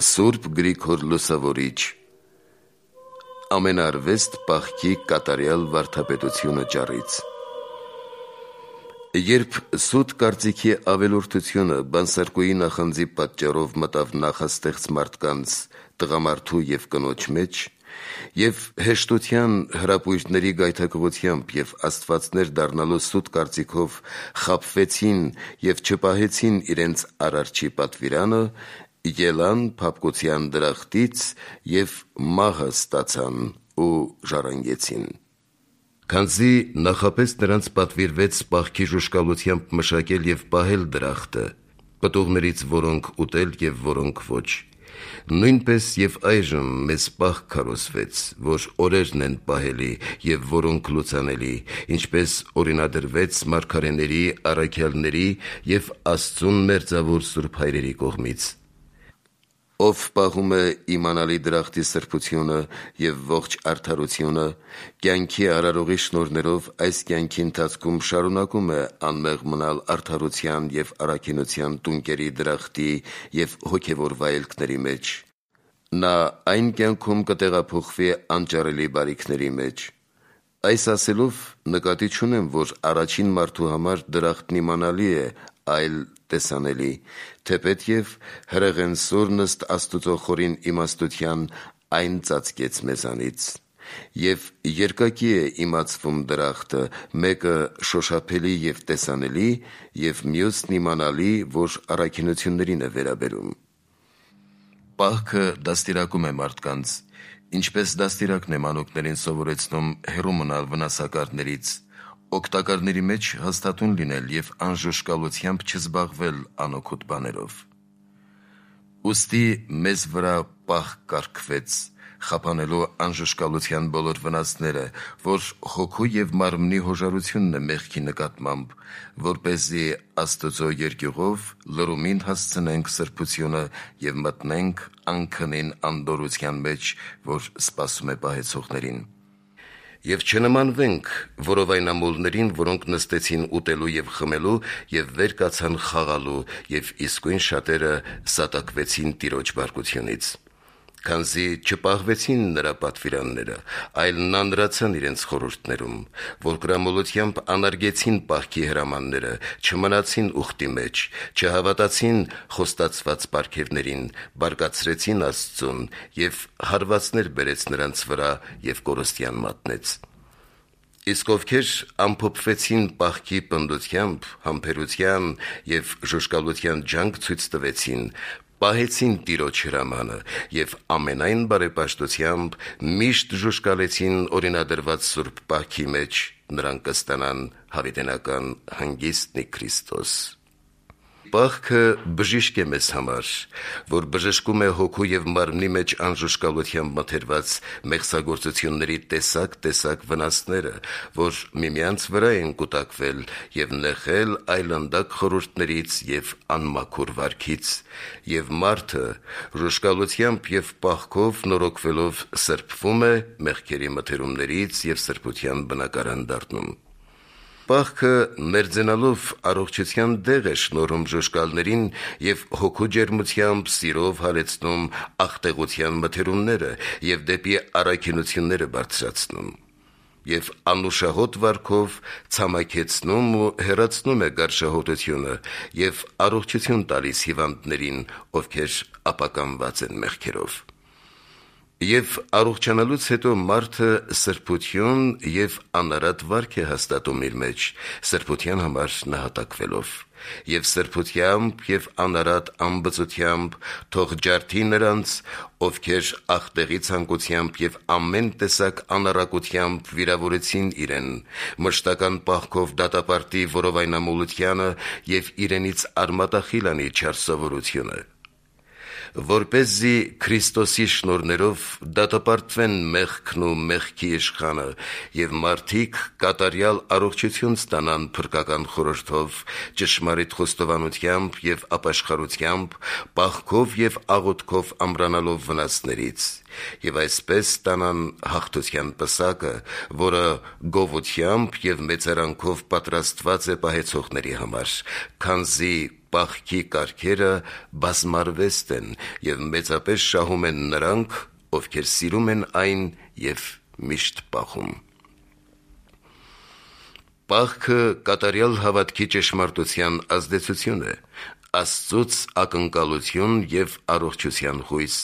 Սուրբ Գրիգոր Լուսավորիչ Ամենարվեստ պահքի կատարյալ վարդապետությունը ճառից։ Երբ սուտ կարծիքի ավելորդությունը բանսարկուի նախանձի պատճառով մտավ նախաստեղծ մարդկանց, տղամարդու և կնոջ մեջ, և հեշտության, հրապույրների գայթակղությամբ և աստվածներ դառնալու սուտ կարծիքով խաբվեցին և չպահեցին իրենց Արարչի պատվիրանը, ելան փափկության դրախտից և մահը ստացան ու ժառանգեցին։ Քանզի նախապես նրանց պատվիրվեց պահքի ժուժկալությամբ մշակել և պահել դրախտը, պտուղներից որոնք ուտել և որոնք ոչ, նույնպես և այժմ մեզ պահք քարոզվեց, որ օրերն են պահելի և որոնք լուծանելի, ինչպես օրինադրվեց մարգարեների, առաքյալների և Աստծուն մերձավոր սուրբ հայրերի կողմից։ Ով պահում է իմանալի դրախտի սրբությունը և ողջ արդարությունը, կյանքի արարողի շնորհներով այս կյանքի ընթացքում շարունակում է անմեղ մնալ արդարության և առաքինության տունկերի դրախտի և հոգևոր վայելքների մեջ, նա այն կյանքում կտեղափոխվի անճարելի բարիքների մեջ։ Այս ասելով նկատի չունեմ, որ առաջին մարդու համար դրախտն իմանալի է, այլ տեսանելի, թեպետև հրեղենսուրն ըստ Աստուծո խորին իմաստության այն ծածկեց մեզանից։ Եվ երկակի է իմացվում դրախտը, մեկը շոշափելի և տեսանելի, և մյուսն իմանալի, որ առաքինություններին է վերաբերում։ Պահքը դաստիարակում է մարդկանց, ինչպես դաստիարակն է մանուկներին սովորեցնում հեռու մնալ վնասակարներից, օգտակարների մեջ հաստատուն լինել և անժուժկալությամբ չզբաղվել անօգուտ բաներով։ Ուստի մեզ վրա պահք կարգվեց, խափանելու անժուժկալության բոլոր վնասները, որ հոգու և մարմնի հոժարությունն է մեղքի նկատմամբ, որպեսզի Աստուծո երկյուղով լռումին հասցնենք սրբությունը և մտնենք անքնին անդորրության մեջ, որ սպասում է պահեցողներին։ Եվ չնմանվենք որովայնամոլներին, որոնք նստեցին ուտելու և խմելու և վեր կացան խաղալու, և իսկույն շատերը սատակվեցին Տիրոջ բարկությունից։ Քանզի չպահվեցին նրա պատվիրանները, այլ նանրացան իրենց խորհուրդներում, որ կրամոլությամբ անարգեցին պահքի հրամանները, չմնացին ուխտի մեջ, չհավատացին խոստացված պարգևներին, բարկացրեցին Աստծուն և հարվածներ բերեց նրանց վրա և կորստյան մատնեց։ Իսկ ովքեր ամփոփվեցին պահքի պնդությամբ, համբերության և ժուժկալության ջանք ցույց տվեցին, պահեցին Տիրոջ հրամանը և ամենայն բարեպաշտությամբ միշտ ժուժկալեցին օրինադրված սուրբ պահքի մեջ, նրանք կստանան հավիտենական հանգիստն ի Քրիստոս։ Պահքը բժիշկ է մեզ համար, որ բժշկում է հոգու և մարմնի մեջ անժուժկալությամբ մթերված մեղսագործությունների տեսակ վնասները, որ միմյանց վրա են կուտակվել և նեղել այլանդակ խորհուրդներից և անմաքուր վարքից, և մարդը ժուժկալությամբ և պահքով նորոգվելով սրբվում է մեղքերի մթերումներից և սրբության բնակարան դառնում։ Պահքը մերձենալով առողջության դեղ է շնորհում ժուժկալներին և հոգու ջերմությամբ, սիրով հալեցնում աղտեղության մթերումները և դեպի առաքինությունները բարձրացնում, և անուշահոտ վարքով ցամաքեցնում ու հեռացնում է գարշահոտությունը և առողջություն տալիս հիվանդներին, ովքեր ապականված են մեղքերով։ Եվ առողջանալուց հետո մարդը սրբություն և անարատ վարք է հաստատում իր մեջ, սրբության համար նահատակվելով, և սրբությամբ և անարատ անբծությամբ թող ջարդի նրանց, ովքեր աղտեղի ցանկությամբ և ամեն տեսակ անառակությամբ վիրավորեցին իրեն, մշտական պահքով դատապարտի որովայնամոլությանը և իրենից արմատախիլ անի չար սովորությունը, որպեսզի Քրիստոսի շնորհներով դատապարտվեն մեղքն ու մեղքի իշխանը, և մարդիկ կատարյալ առողջություն ստանան փրկական խորհրդով, ճշմարիտ խոստովանությամբ և ապաշխարությամբ, պահքով և աղոթքով ամրանալով վնասներից, և այսպես ստանան հաղթության պսակը, որը գովությամբ և մեծարանքով պատրաստված է պահեցողների համար, քանզի պահքի կարգերը բազմարվեստ են և մեծապես շահում են նրանք, ովքեր սիրում են այն և միշտ պահում։ Պահքը կատարյալ հավատքի ճշմարտության ազդեցություն է, Աստծուց ակնկալություն և առողջության հույս,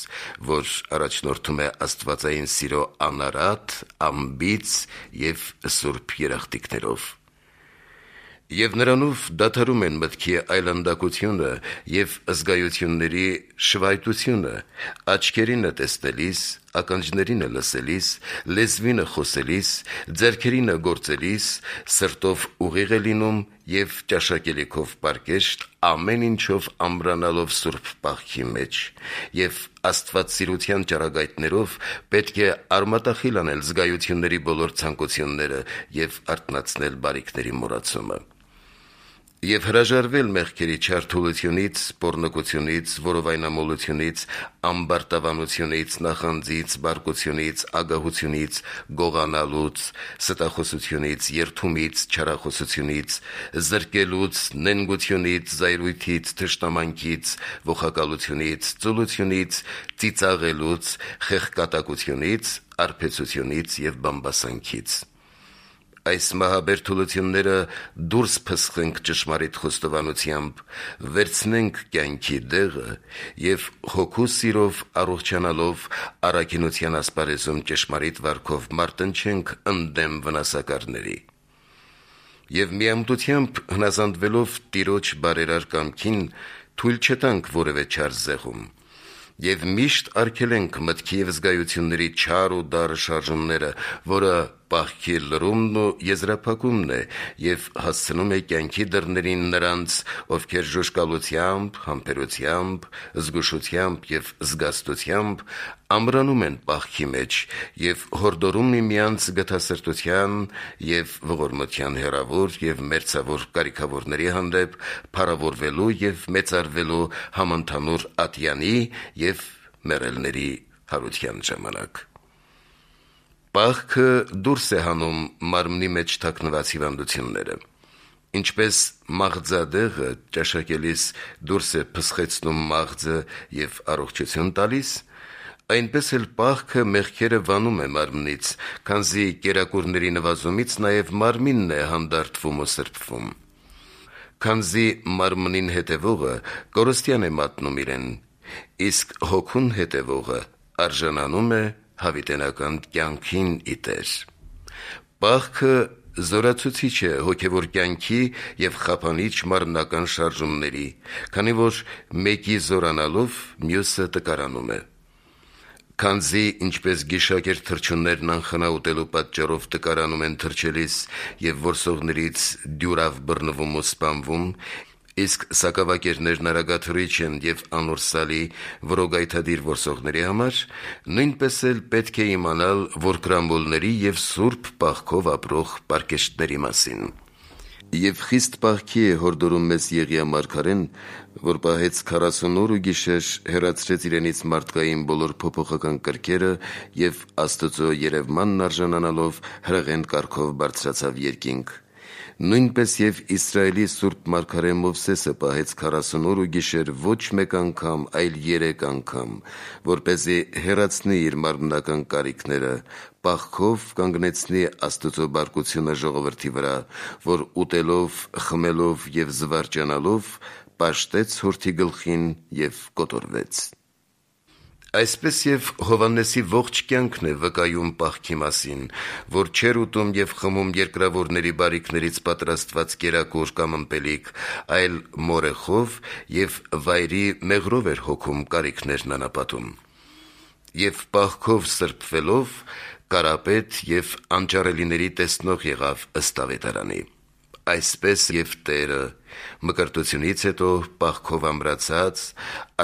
որ առաջնորդում է աստվածային սիրո անարատ, անբիծ և սուրբ երախտիկներով։ Եվ նրանով դադարում են մտքի այլանդակությունը և զգայությունների շվայտությունը, աչքերինը տեսնելիս, ականջներինը լսելիս, լեզվինը խոսելիս, ձեռքերինը գործելիս, սրտով ուղիղ է լինում և ճաշակելիքով պարկեշտ, ամեն ինչով ամրանալով սուրբ պահքի մեջ, և աստվածասիրության ճառագայթներով պետք է արմատախիլ անել զգայությունների բոլոր ցանկությունները և արթնացնել բարիքների մոռացումը։ Եվ հրաժարվել մեղքերի չար թուլությունից, պոռնկությունից, որովայնամոլությունից, ամբարտավանությունից, նախանձից, բարկությունից, ագահությունից, գողանալուց, ստախոսությունից, երդումից, չարախոսությունից, զրկելուց, նենգությունից, զայրույթից, թշնամանքից, ողակալությունից, ծուլությունից, ծիծաղելուց, խեղկատակությունից, արբեցությունից և բամբասանքից։ Այս մահաբեր թուլությունները դուրս փսխենք ճշմարիտ խոստովանությամբ, վերցնենք կյանքի դեղը և հոգու սիրով առողջանալով առաքինության ասպարեզում ճշմարիտ վարքով մարտնչենք ընդդեմ վնասակարների։ Եվ միամտությամբ հնազանդվելով Տիրոջ բարերար կամքին, թույլ չտանք որևէ չար զեղում, և միշտ արգելենք մտքի և զգայությունների չար ու դառը շարժումները, որը պահքի լրումն ու եզրափակումն է և հասցնում է կյանքի դռներին նրանց, ովքեր ժուժկալությամբ, համբերությամբ, զգուշությամբ և զգաստությամբ ամրանում են պահքի մեջ և հորդորում միմյանց գթասրտության և ողորմության հեռավոր և մերձավոր կարիքավորների հանդեպ փառավորվելու և մեծարվելու համընդհանուր ատյանի և մեռելների հարության ժամանակ։ Պահքը դուրս է հանում մարմնի մեջ թաքնված հիվանդությունները։ Ինչպես մաղձադեղը ճաշակելիս դուրս է փսխեցնում մաղձը և առողջություն տալիս, այնպես էլ պահքը մեղքերը վանում է մարմնից, քանզի կերակուրների նվազումից նաև մարմինն է հանդարտվում ու սրբվում։ Քանզի մարմնին հետևողը կորստյան է մատնում իրեն, իսկ հոգուն հետևողը արժանանում է հավիտենական կյանքին ի Տեր։ Պահքը զորացուցիչ է հոգևոր կյանքի և խափանիչ մարմնական շարժումների, քանի որ մեկի զորանալով մյուսը տկարանում է։ Քանզի ինչպես գիշակեր թռչուններն անխնա ուտելու պատճառով տկարանում են թռչելիս և որսողներից դյուրավ բռնվում ու սպանվում, իսկ սակավակերներն արագաթռիչ են և անորսալի որոգայթադիր որսողների համար, նույնպես էլ պետք է իմանալ որկրամբոլների և սուրբ պահքով ապրող պարկեշտների մասին։ Եվ խիստ պահքի է հորդորում մեզ Եղիա մարգարեն, որ պահեց 40 օր ու գիշեր, հեռացրեց իրենից մարդկային բոլոր փոփոխական կրքերը և Աստծո երևմանն արժանանալով հրեղեն կարգով բարձրացավ երկինք։ Նույնպես և Իսրայելի սուրբ մարգարե Մովսեսը պահեց 40 օր ու գիշեր ոչ մեկ անգամ, այլ 3 անգամ, որպեսզի հեռացնի իր մարմնական կարիքները, պահքով կանգնեցնի Աստծո բարկությունը ժողովրդի վրա, որ ուտելով, խմելով և զվարճանալով պաշտեց հորթի գլխին և կոտորվեց։ Այսպես և Հովհաննեսի ողջ կյանքն է վկայում պահքի մասին, որ չէր ուտում և խմում երկրավորների բարիքներից պատրաստված կերակուր կամ ըմպելիք, այլ մորեխով և վայրի մեղրով էր հոգում կարիքներն անապատում։ Եվ պահքով սրբվելով կարապետ և անճառելիների տեսնող եղավ ըստ Ավետարանի։ Այսպես և Տերը մկրտությունից հետո պահքով ամրացած,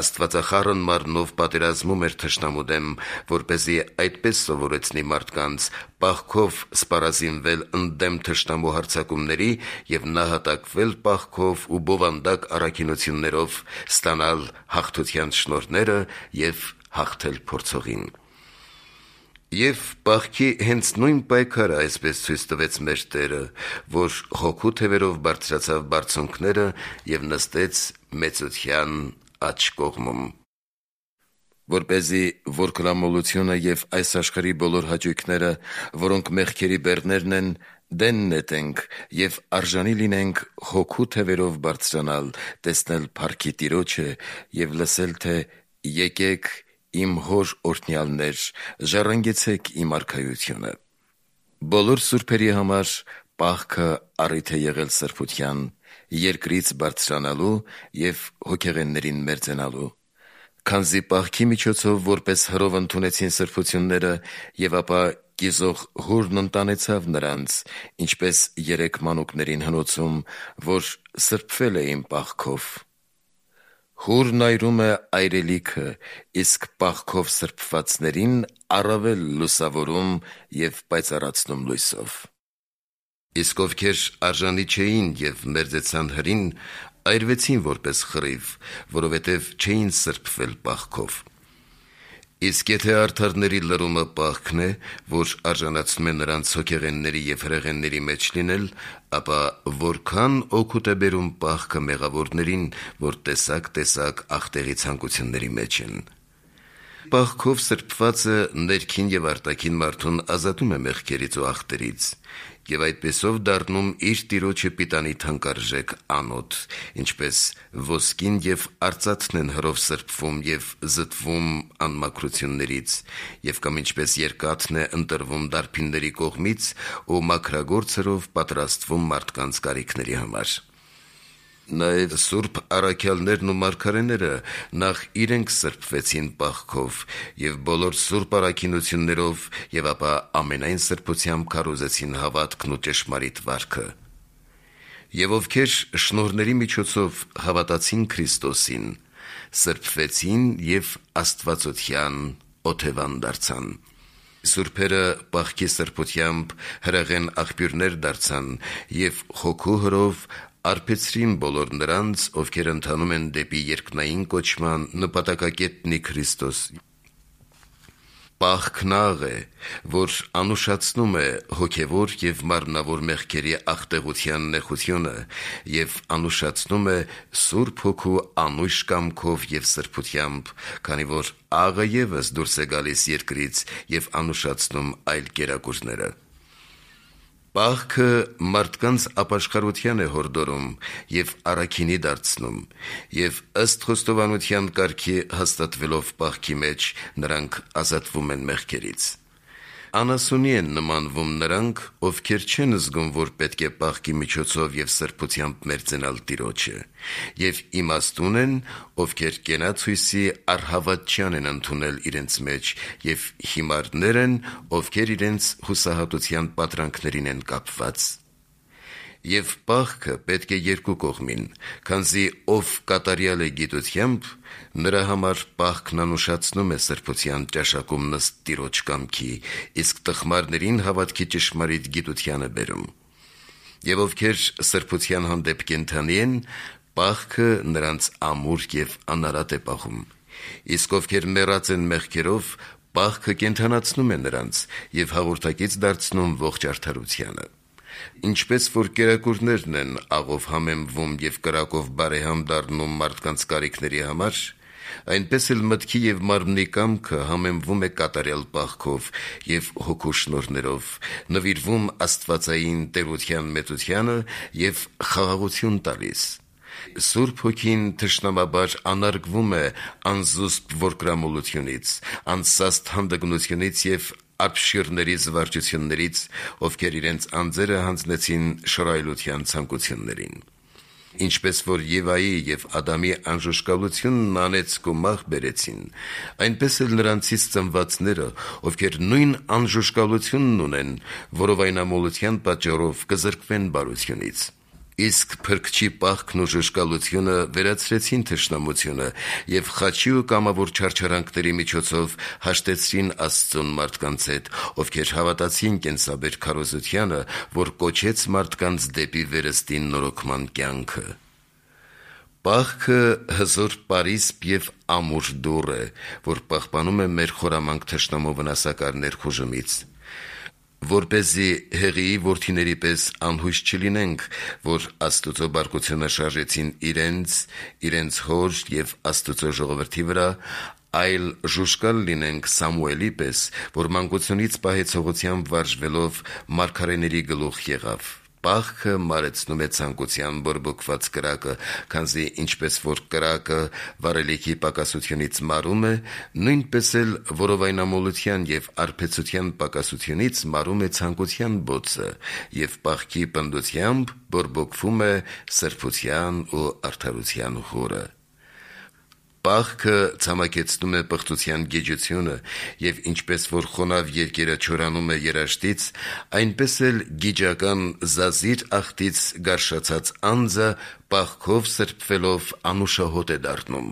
աստվածախառն մարմնով պատերազմում էր թշնամու դեմ, որպեսզի այդպես սովորեցնի մարդկանց պահքով սպառազինվել ընդդեմ թշնամու հարձակումների և նահատակվել պահքով ու բովանդակ առաքինություններով ստանալ հաղթության շնորհները և հաղթել փորձողին։ Եվ պահքի հենց նույն պայքարը այսպես ցույց տվեց մեր Տերը, որ հոգու թևերով բարձրացավ բարձունքները և նստեց մեծության աջ կողմում։ Որպեսզի որ կրամոլությունը և այս աշխարհի բոլոր հաճույքները, որոնք մեղքերի բեռներն են, դեն նետենք և արժանի լինենք հոգու թևերով բարձրանալ, տեսնել փառքի Տիրոջը և լսել, թե «Եկեք իմ Հոր օրհնյալներ, ժառանգեցեք իմ արքայությունը»։ Բոլոր սուրբերի համար պահքը առիթ է եղել սրբության, երկրից բարձրանալու և հոգեղեններին մերձենալու։ Քանզի պահքի միջոցով որպես հրով ընդունեցին սրբությունները և ապա կիզող հուրն ընտանեցավ նրանց, ինչպես 3 մանուկներին հնոցում, որ սրբվել էին պահքով։ Հուրն այրում է այրելիքը, իսկ պահքով սրբվածներին առավել լուսավորում և պայծառացնում լույսով։ Իսկ ովքեր արժանի չէին և մերձեցան հրին, այրվեցին որպես խռիվ, որովհետև չէին սրբվել պահքով։ Իսկ եթե արդարների լրումը պահքն է, որ արժանացնում է նրանց հոգեղենների և հրեղենների մեջ լինել, ապա որքան օգուտ է բերում պահքը մեղավորներին, որ տեսակ ախտեղի ցանկությունների մեջ են։ Պահքով սրբվածը ներքին և արտաքին մարդուն ազատում է մեղքերից ու ախտերից և այդպիսով դառնում իր Տիրոջը պիտանի թանկարժեք անոթ, ինչպես ոսկին և արծաթն են հրով սրբվում և զտվում անմաքրություններից, և կամ ինչպես երկաթն է ընտրվում դարբինների կողմից ու մաքրագործ հրով պատրաստվում մարդկանց կարիքների համար։ Նաև սուրբ առաքյալներն ու մարգարեները նախ իրենք սրբվեցին պահքով և բոլոր սուրբ առաքինություններով և ապա ամենայն սրբությամբ քարոզեցին հավատքն ու ճշմարիտ վարքը։ Եվ ովքեր շնորհների միջոցով հավատացին Քրիստոսին, սրբվեցին և աստվածության օթևան դարձան։ Սուրբերը պահքի սրբությամբ հրեղեն աղբյուրներ դարձան և հոգու հրով արբեցրին բոլոր նրանց, ովքեր ընթանում են դեպի երկնային կոչման նպատակակետնի Քրիստոս։ Պահքն աղ է, որ անուշացնում է հոգևոր և մարմնավոր մեղքերի աղտեղության նեխությունը և անուշացնում է Սուրբ Հոգու անույշ կամքով և սրբությամբ, քանի որ աղը ևս դուրս է գալիս երկրից և անուշացնում այլ կերակուրները։ Պահքը մարդկանց ապաշխարության է հորդորում և առաքինի դարձնում, և ըստ խոստովանության կարգի հաստատվելով պահքի մեջ, նրանք ազատվում են մեղքերից։ Անասունի են նմանվում նրանք, ովքեր չեն զգում, որ պետք է պահքի միջոցով և սրբությամբ մերձենալ Տիրոջը, և իմաստուն են, ովքեր կենացույսի առհավատչյան են ընդունել իրենց մեջ, և հիմարներ են, ովքեր իրենց հուսահատության պատրանքներին են կապված։ Եվ պահքը պետք է երկու կողմին, քանզի ով կատարյալ է գիտությամբ, նրա համար պահքն անուշացնում է սրբության ճաշակումն ըստ Տիրոջ կամքի, իսկ տխմարներին հավատքի ճշմարիտ գիտության է բերում։ Եվ ովքեր սրբության հանդեպ կենդանի են, պահքը նրանց ամուր և անարատ է պահում։ Իսկ ովքեր մեռած են մեղքերով, պահքը կենդանացնում է նրանց և հաղորդակից դարձնում ողջ արդարությանը։ Ինչպես որ կերակուրներն են աղով համեմվում և կրակով բարեհամ դառնում մարդկանց կարիքների համար, այնպես էլ մտքի և մարմնի կամքը համեմվում է կատարյալ պահքով և հոգու շնորհներով, նվիրվում աստվածային տերության մեծությանը և խաղաղություն տալիս։ Սուրբ Հոգին թշնամաբար անարգվում է անզուսպ որկրամոլությունից, անսաստ հանդգնությունից և ապշիրների զվարճություններից, ովքեր իրենց անձերը հանձնեցին շռայլության ցանկություններին։ Ինչպես որ Եվայի և Ադամի անժուշկալությունն անեծք ու մահ բերեցին, այնպես էլ նրանցից ծնվածները, ովքեր նույն անժուշկալությունն ունեն, որովայնամոլության պատճառով կզրկվեն բարությունից։ Իսկ Փրկչի պահքն ու ժուշկալությունը վերացրեցին թշնամությունը և խաչի ու կամավոր չարչարանքների միջոցով հաշտեցրին Աստծուն մարդկանց հետ, ովքեր հավատացին կենսաբեր քարոզությանը, որ կոչեց մարդկանց դեպի վերստին նորոգման կյանքը։ Պահքը հզոր պարիսպ և ամուր դուռ է, որ պահպանում է մեր խորամանկ թշնամու վնասակար ներխուժումից, որպեսզի Հեղիի որդիների պես անհույս չլինենք, որ Աստուծո բարկությունը շարժեցին իրենց հոր և Աստուծո ժողովրդի վրա, այլ ժուժկալ լինենք Սամուելի պես, որ մանկությունից պահեցողությամբ վարժվելով մարգարեների գլուխ եղավ։ Պահքը մարեցնում է ցանկության բորբոքված կրակը, քանզի ինչպես որ կրակը վառելիքի պակասությունից մարում է, նույնպես էլ որովայնամոլության և արբեցության պակասությունից մարում է ցանկության բոցը, և պահքի պնդությամբ բորբոքվում է սրբության ու արդարության հորը։ Պահքը ցամաքեցնում է պղծության գիջությունը, և ինչպես որ խոնավ երկերը չորանում է երաշտից, այնպես էլ գիջական զազիր աղտից գարշացած անձը պահքով սրբվելով անուշահոտ է դառնում։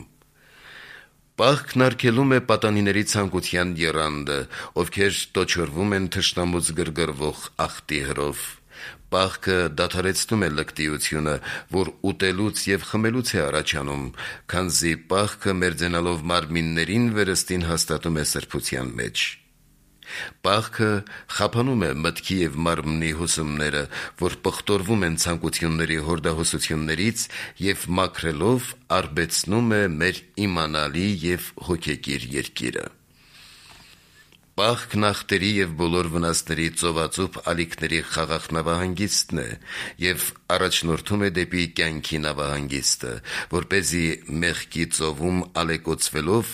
Պահքն արգելում է պատանիների ցանկության եռանդը, ովքեր տոչորվում են թշնամուց գրգռվող աղտի հրով։ Պահքը դադարեցնում է լկտիությունը, որ ուտելուց և խմելուց է առաջանում, քանզի պահքը մերձենալով մարմիններին վերստին հաստատում է սրբության մեջ։ Պահքը խափանում է մտքի և մարմնի հուսումները, որ պղտորվում են ցանկությունների հորդահոսություններից և մաքրելով արբեցնում է մեր իմանալի և հոգեկիր երկիրը։ Պահքն ախտերի և բոլոր վնասների ծովածուփ ալիքների խաղաղ նավահանգիստն է և առաջնորդում է դեպի կյանքի նավահանգիստը, որպեսզի մեղքի ծովում ալեկոծվելով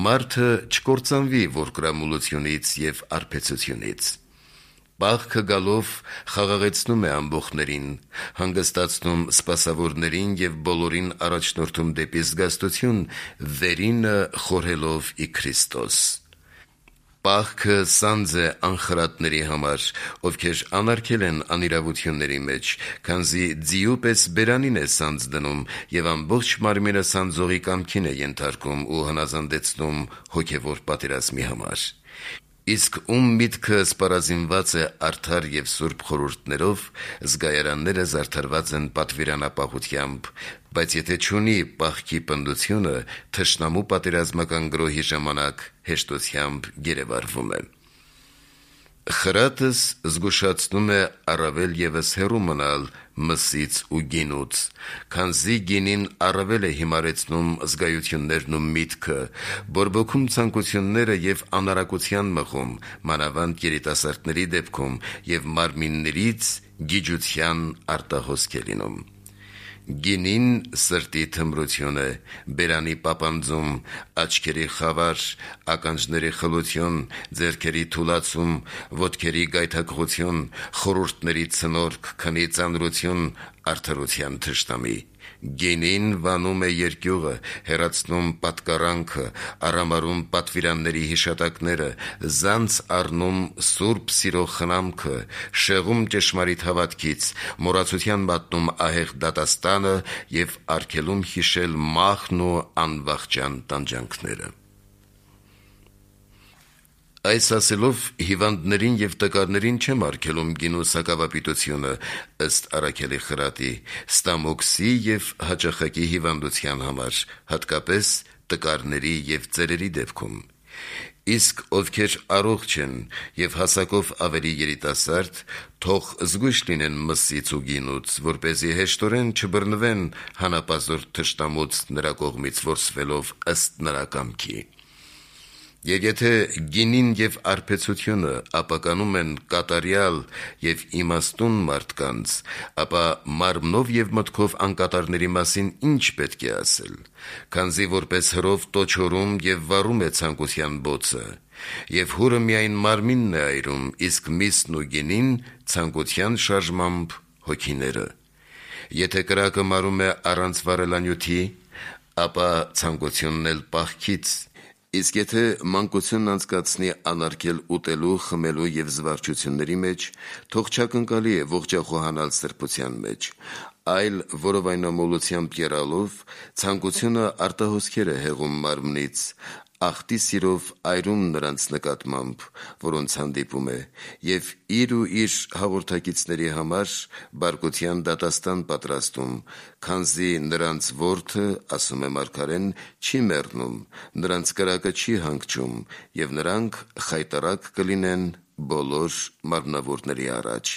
մարդը չկործանվի որկրամոլությունից և արբեցությունից։ Պահքը գալով խաղաղեցնում է ամբոխներին, հանգստացնում սպասավորներին և բոլորին առաջնորդում դեպի զգաստություն, վերինը խորհելով ի Քրիստոս։ Պահքը սանձ է անխրատների համար, ովքեր անարգել են անիրավությունների մեջ, քանզի ձիու պես բերանին է սանձ դնում և ամբողջ մարմինը սանձողի կամքին է ենթարկում ու հնազանդեցնում հոգևոր պատերազմի համար։ Իսկ ում միտքը սպառազինված է արդար և սուրբ խորհուրդներով, զգայարանները զարդարված են պատվիրանապահությամբ, բայց եթե չունի պահքի պնդությունը, թշնամու պատերազմական գրոհի ժամանակ հեշտությամբ գերեվարվում է։ Խրատս զգուշացնում է առավել ևս հեռու մնալ մսից ու գինուց, քանզի գինին առավել է հիմարեցնում զգայություններն ու միտքը, բորբոքում ցանկությունները և անարակության մղում, մանավանդ երիտասարդների դեպքում, և մարմիններից գիջության արտահոսք է լինում։ Գինին սրտի թմրություն է, բերանի պապանձում, աչքերի խավար, ականջների խլություն, ձեռքերի թուլացում, ոտքերի գայթակղություն, խորհուրդների ցնորք, քնի ծանրություն, արդարության թշնամի։ Գինին վանում է երկյուղը, հեռացնում պատկառանքը, արամարում պատվիրանների հիշատակները, զանց առնում սուրբ սիրո խնամքը, շեղում ճշմարիտ հավատքից, մոռացության մատնում ահեղ դատաստանը և արգելում հիշել մահն ու անվախճան տանջանքները։ Այս ասելով հիվանդներին և տկարներին չեմ արգելում գինու սակավապիտությունը, ըստ Առաքելի խրատի, ստամոքսի և հաճախակի հիվանդության համար, հատկապես տկարների և ծերերի դեպքում։ Իսկ ովքեր առողջ են և հասակով ավելի երիտասարդ, թող զգույշ լինեն մսից ու գինուց, որպեսզի հեշտորեն չբռնվեն հանապազորդ թշնամուց նրա կողմից որսվելով ըստ նրա կամքի։ Եվ եթե գինին և արբեցությունը ապականում են կատարյալ և իմաստուն մարդկանց, ապա մարմնով և մտքով անկատարների մասին ինչ պետք է ասել, քանզի որպես հրով տոչորում և վառում է ցանկության բոցը, և հուրը միայն մարմինն է այրում, իսկ միսն ու գինին ցանկության շարժմամբ հոգիները։ Եթե կրակը մարում է առանց վառելանյութի, ապա ցանկությունն էլ պահքից, իսկ եթե մանկությունն անցկացնի անարգել ուտելու, խմելու և զվարճությունների մեջ, թող չակնկալի է ողջախոհանալ սրբության մեջ, այլ որովայնամոլությամբ եռալով, ցանկությունը արտահոսքեր է հեղում մարմնից, աղտի սիրով այրում նրանց նկատմամբ, որոնց հանդիպում է, և իր ու իր հաղորդակիցների համար բարկության դատաստան պատրաստում, քանզի նրանց որդը, ասում է մարգարեն, չի մեռնում, նրանց կրակը չի հանգչում, և նրանք խայտառակ կլինեն բոլոր մարմնավորների առաջ։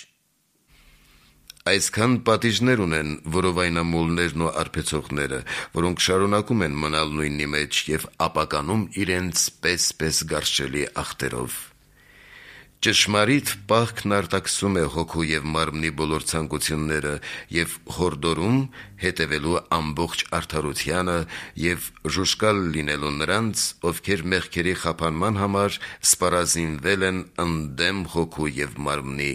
Այսքան պատիժներ ունեն որովայնամոլներն ու արբեցողները, որոնք շարունակում են մնալ նույնի մեջ և ապականում իրենց պես գարշելի աղտերով։ Ճշմարիտ պահքն արտաքսում է հոգու և մարմնի բոլոր ցանկությունները և հորդորում հետևելու ամբողջ արդարությանը և ժուժկալ լինելու նրանց, ովքեր մեղքերի խափանման համար սպառազինվել են ընդդեմ հոգու և մարմնի,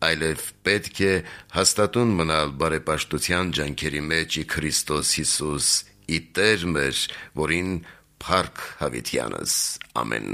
այլև պետք է հաստատուն մնալ բարեպաշտության ջանքերի մեջ ի Քրիստոս Հիսուս, ի Տեր մեր, որին փառք հավիտյանս։ Ամեն։